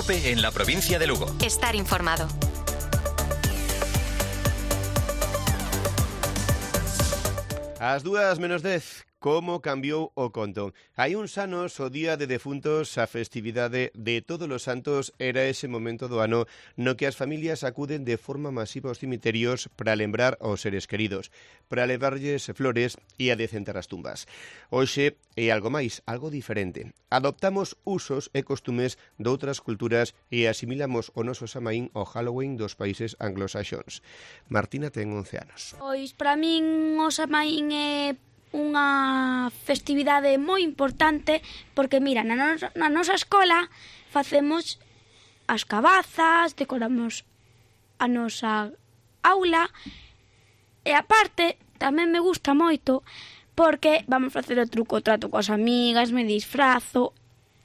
COPE en la provincia de Lugo. Estar informado. Ás 2:10, como cambiou o conto. Hai uns anos, o Día de Defuntos, a festividade de Todos os Santos, era ese momento do ano no que as familias acuden de forma masiva aos cemiterios para lembrar aos seres queridos, para levarlles flores e a decentar as tumbas. Hoxe é algo máis, algo diferente. Adoptamos usos e costumes de outras culturas e asimilamos o noso Samaín ao Halloween dos países anglosaxóns. Martina ten 11 anos. Pois, para min, o Samaín é unha festividade moi importante porque, mira, na nosa escola facemos as cabazas, decoramos a nosa aula e, aparte, tamén me gusta moito porque vamos facer o truco o trato coas amigas, me disfrazo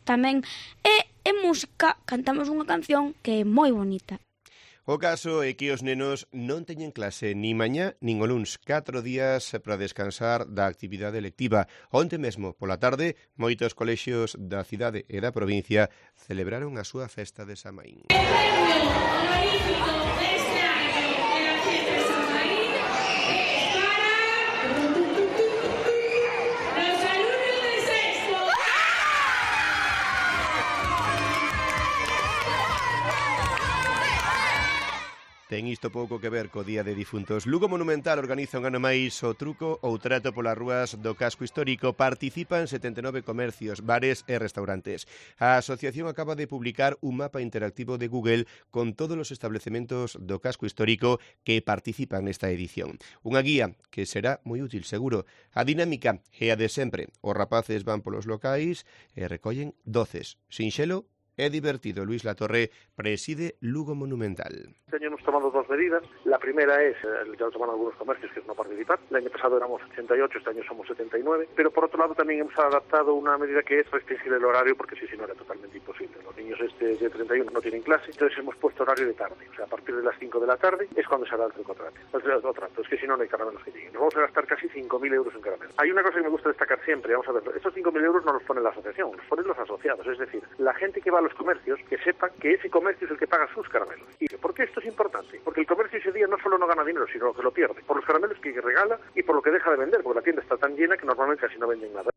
tamén e en música cantamos unha canción que é moi bonita. O caso é que os nenos non teñen clase ni mañá nin o luns, 4 días para descansar da actividade lectiva. Onte mesmo, pola tarde, moitos colexios da cidade e da provincia celebraron a súa festa de Samaín. Ten isto pouco que ver co Día de Difuntos. Lugo Monumental organiza un ano máis o truco ou trato polas rúas do casco histórico. Participan 79 comercios, bares e restaurantes. A asociación acaba de publicar un mapa interactivo de Google con todos os establecementos do casco histórico que participan nesta edición. Unha guía que será moi útil, seguro. A dinámica é a de sempre. Os rapaces van polos locais e recollen doces. Sinxelo é divertido. Luis Latorre preside Lugo Monumental. Este año hemos tomado dos medidas. La primera es, ya lo toman algunos comercios, que es no participar. El año pasado éramos 88, este año somos 79. Pero por otro lado también hemos adaptado una medida que es restringir el horario, porque si no era totalmente imposible. Los niños de 31 no tienen clase, entonces hemos puesto horario de tarde. O sea, a partir de las 5 de la tarde es cuando se hará el trucotrato. Es que si no, no hay caramelos que lleguen. Nos vamos a gastar casi 5.000 euros en caramelos. Hay una cosa que me gusta destacar siempre, vamos a ver, estos 5.000 euros no los pone la asociación, los ponen los asociados. Es decir, la gente que va a los comercios, que sepa que ese comercio es el que paga sus caramelos. ¿Y por qué esto es importante? Porque el comercio ese día no solo no gana dinero, sino que lo pierde, por los caramelos que regala y por lo que deja de vender, porque la tienda está tan llena que normalmente casi no venden nada.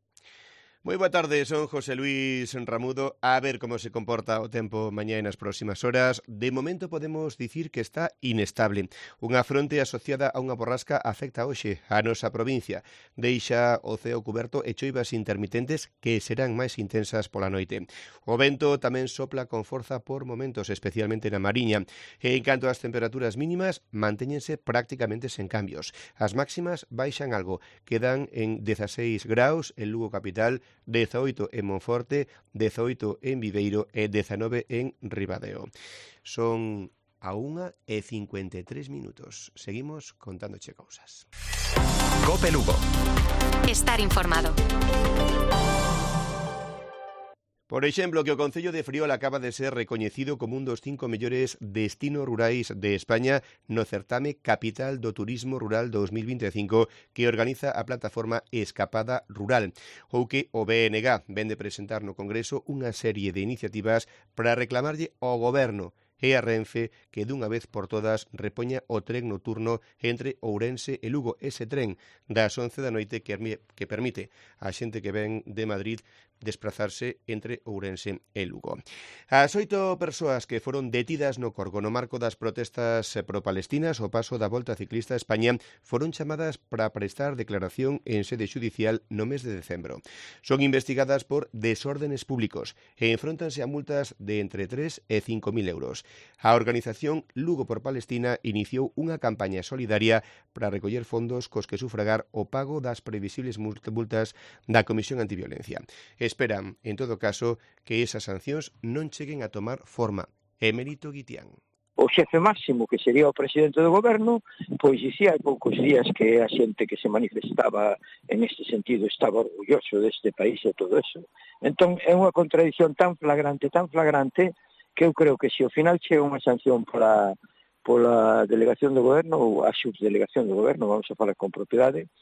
Moi boa tarde, son José Luis Ramudo. A ver como se comporta o tempo mañá nas próximas horas. De momento podemos dicir que está inestable. Unha fronte asociada a unha borrasca afecta hoxe a nosa provincia. Deixa o ceo cuberto e choivas intermitentes que serán máis intensas pola noite. O vento tamén sopla con forza por momentos, especialmente na Mariña. E en canto ás temperaturas mínimas, mantéñense prácticamente sen cambios. As máximas baixan algo, quedan en 16 graus en Lugo capital, 18 en Monforte, 18 en Viveiro e 19 en Ribadeo. Son a 1:53. Seguimos contándoche cousas. COPE Lugo. Estar informado. Por exemplo, que o Concello de Friol acaba de ser recoñecido como un dos 5 mellores destinos rurais de España no certame Capital do Turismo Rural 2025 que organiza a plataforma Escapada Rural, ou que o BNG vende presentar no Congreso unha serie de iniciativas para reclamarlle ao Goberno e a Renfe que dunha vez por todas repoña o tren nocturno entre Ourense e Lugo, ese tren das 11 da noite que permite a xente que ven de Madrid desplazarse entre Ourense e Lugo. As 8 persoas que foron detidas no Corgo no marco das protestas pro-palestinas ao paso da Volta Ciclista a España foron chamadas para prestar declaración en sede xudicial no mes de decembro. Son investigadas por desórdenes públicos e enfróntanse a multas de entre 3 e 5.000 euros. A organización Lugo por Palestina iniciou unha campaña solidaria para recoller fondos cos que sufragar o pago das previsibles multas da Comisión Antiviolencia. Esperan, en todo caso, que esas sancións non cheguen a tomar forma. Emérito Guitián. O xefe máximo, que sería o presidente do goberno, pois dicía hai poucos días que a xente que se manifestaba en este sentido estaba orgulloso deste país e todo eso. Entón, é unha contradición tan flagrante, que eu creo que se ao final chega unha sanción pola delegación do goberno ou a subdelegación do goberno, vamos a falar con propiedade,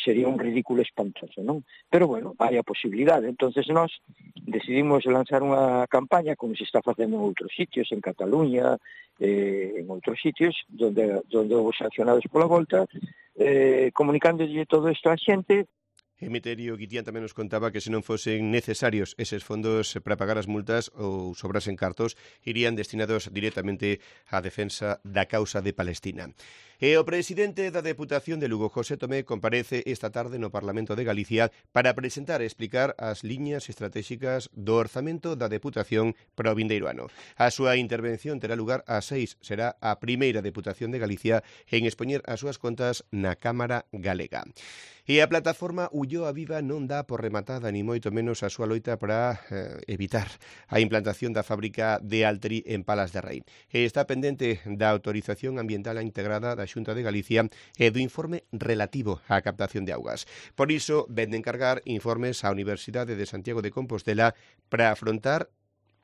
sería un ridículo espantoso, non? Pero bueno, hai a posibilidade. Entonces nós decidimos lanzar unha campaña como se está facendo en outros sitios, en Cataluña, en outros sitios, onde houve sancionados pola volta, comunicándolle todo isto á xente. Emeterio Guitián tamén nos contaba que se non fosen necesarios eses fondos para pagar as multas ou sobrasen cartos, irían destinados directamente á defensa da causa de Palestina. E o presidente da Deputación de Lugo, José Tomé, comparece esta tarde no Parlamento de Galicia para presentar e explicar as liñas estratégicas do orzamento da Deputación para o vindeiro ano. A súa intervención terá lugar ás 6. Será a primeira Deputación de Galicia en expoñer as súas contas na Cámara Galega. E a plataforma Ulloa Viva non dá por rematada ni moito menos a súa loita para evitar a implantación da fábrica de Altri en Palas de Rei. E está pendente da autorización ambiental integrada da Xunta de Galicia e do informe relativo á captación de augas. Por iso, ven de encargar informes á Universidade de Santiago de Compostela para afrontar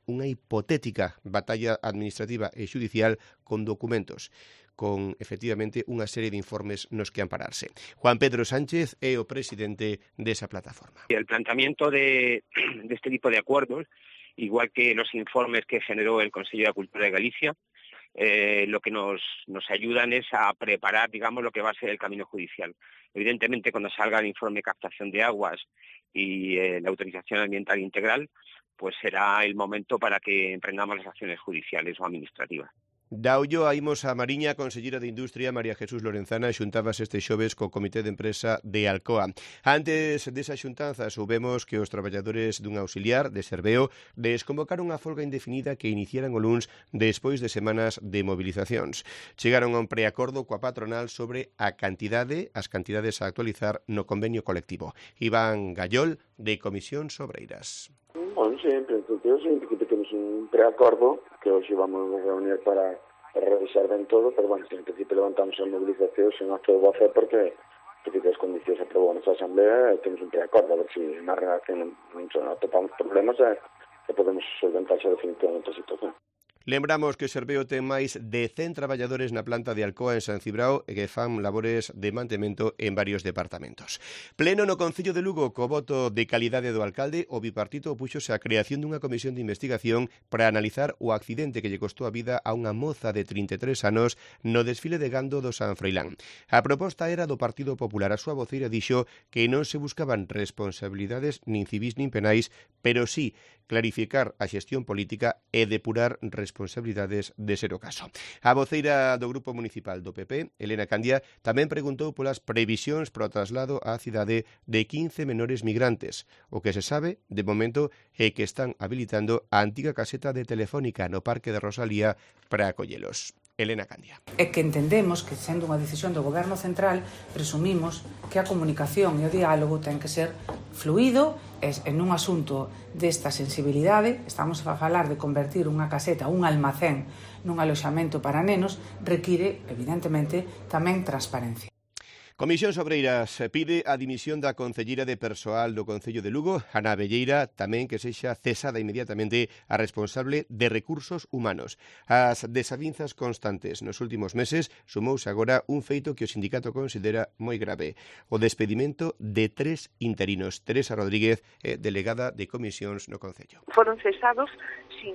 unha hipotética batalla administrativa e xudicial con documentos, con, efectivamente, unha serie de informes nos que ampararse. Juan Pedro Sánchez é o presidente desa plataforma. El planteamiento de este tipo de acuerdos, igual que los informes que generó el Consejo de Cultura de Galicia, lo que nos ayudan es a preparar, digamos, lo que va a ser el camino judicial. Evidentemente, cuando salga el informe de captación de aguas y la autorización ambiental integral, pues será el momento para que emprendamos las acciones judiciales o administrativas. Da Ulloa imos a Mariña, a conselleira de Industria, María Jesús Lorenzana, xuntábase este xoves co Comité de Empresa de Alcoa. Antes desa xuntanza, soubemos que os traballadores dun auxiliar de Serveo desconvocaron a folga indefinida que iniciaran o luns despois de semanas de movilizacións. Chegaron a un preacordo coa patronal sobre as cantidades a actualizar no convenio colectivo. Iván Gallol, de Comisións Obreiras. Bueno, sempre que temos un preacordo que hoxe vamos a reunir para revisar ben todo, pero bueno, en principio levantamos a movilización sen acto de voce porque as condicións aprobou a Asamblea e temos un preacordo, a ver se na redacción non atopamos problemas e podemos solventar definitivamente a situación. Lembramos que Serveo ten máis de 100 traballadores na planta de Alcoa en San Cibrao e que fan labores de mantemento en varios departamentos. Pleno no Concello de Lugo, co voto de calidade do alcalde, o bipartito opúxose á creación dunha comisión de investigación para analizar o accidente que lle costou a vida a unha moza de 33 anos no desfile de gando do San Froilán. A proposta era do Partido Popular. A súa voceira dixo que non se buscaban responsabilidades nin civís nin penais, pero sí clarificar a xestión política e depurar responsabilidades de ser o caso. A voceira do Grupo Municipal do PP, Elena Candia, tamén preguntou polas previsións para o traslado á cidade de 15 menores migrantes. O que se sabe, de momento, é que están habilitando a antiga caseta de Telefónica no Parque de Rosalía para acollelos. Elena Candia. É que entendemos que, sendo unha decisión do Goberno Central, presumimos que a comunicación e o diálogo ten que ser fluido e en un asunto desta sensibilidade. Estamos a falar de convertir unha caseta, un almacén, nun aloxamento para nenos, require, evidentemente, tamén transparencia. Comisións Obreiras pide a dimisión da concelleira de Persoal do Concello de Lugo, Ana Velleira, tamén que sexa cesada inmediatamente a responsable de Recursos Humanos. As desavinzas constantes nos últimos meses sumouse agora un feito que o sindicato considera moi grave: o despedimento de 3 interinos. Teresa Rodríguez, delegada de Comisións no Concello. Foron cesados sin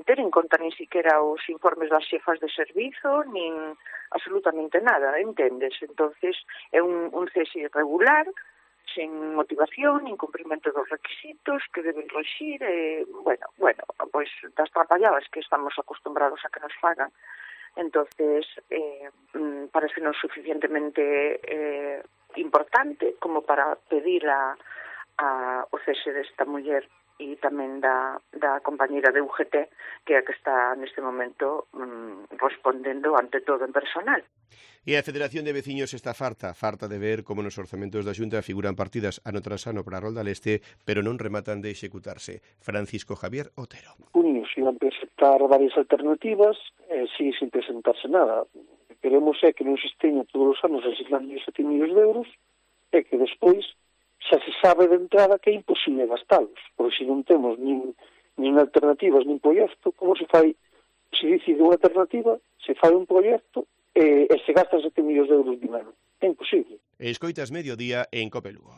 ter en conta nin siquiera os informes das xefas de servizo, nin absolutamente nada, entendes? Entonces é un cese irregular, sen motivación, incumprimento dos requisitos que deben rexir, bueno, pois das trapalladas que estamos acostumbrados a que nos fagan. Entonces, parece non suficientemente importante como para pedir o cese desta muller e tamén da compañeira de UGT, que é a que está neste momento respondendo ante todo en personal. E a Federación de Veciños está farta de ver como nos orzamentos da Xunta figuran partidas ano tras ano para a Rolda Leste, pero non rematan de executarse. Francisco Javier Otero. Unidos iban a presentar varias alternativas, sigue sin presentarse nada. Queremos que non se esteña todos os anos asignando 7 millóns de euros e que despois xa se sabe de entrada que é imposible gastalos, porque se non temos nin alternativas nin proxecto, como se fai, se decide unha alternativa, se fai un proxecto e se gasta 7 millóns de euros de ano. É imposible. Escoitas Mediodía en COPE Lugo.